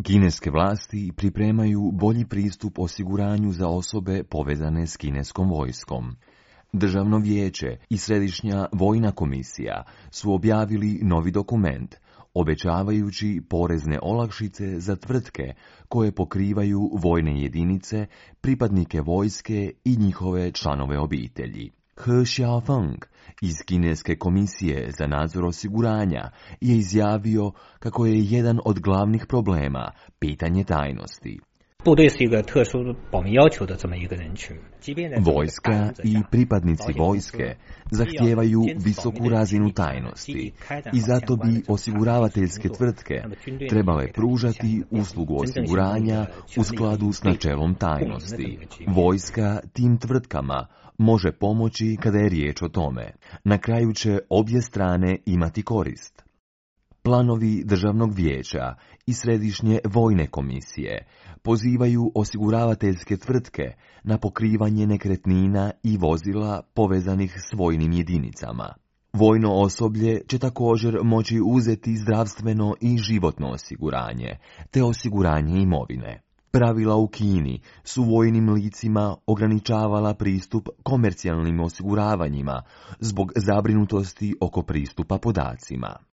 Kineske vlasti pripremaju bolji pristup osiguranju za osobe povezane s kineskom vojskom. Državno vijeće i Središnja vojna komisija su objavili novi dokument, obećavajući porezne olakšice za tvrtke koje pokrivaju vojne jedinice, pripadnike vojske i njihove članove obitelji. He Xiaofeng iz Kineske komisije za nadzor osiguranja je izjavio kako je jedan od glavnih problema pitanje tajnosti. Vojska i pripadnici vojske zahtijevaju visoku razinu tajnosti i zato bi osiguravateljske tvrtke trebale pružati uslugu osiguranja u skladu s načelom tajnosti. Vojska tim tvrtkama može pomoći kada je riječ o tome. Na kraju će obje strane imati korist. Planovi Državnog vijeća i Središnje vojne komisije pozivaju osiguravateljske tvrtke na pokrivanje nekretnina i vozila povezanih s vojnim jedinicama. Vojno osoblje će također moći uzeti zdravstveno i životno osiguranje, te osiguranje imovine. Pravila u Kini su vojnim licima ograničavala pristup komercijalnim osiguravanjima zbog zabrinutosti oko pristupa podacima.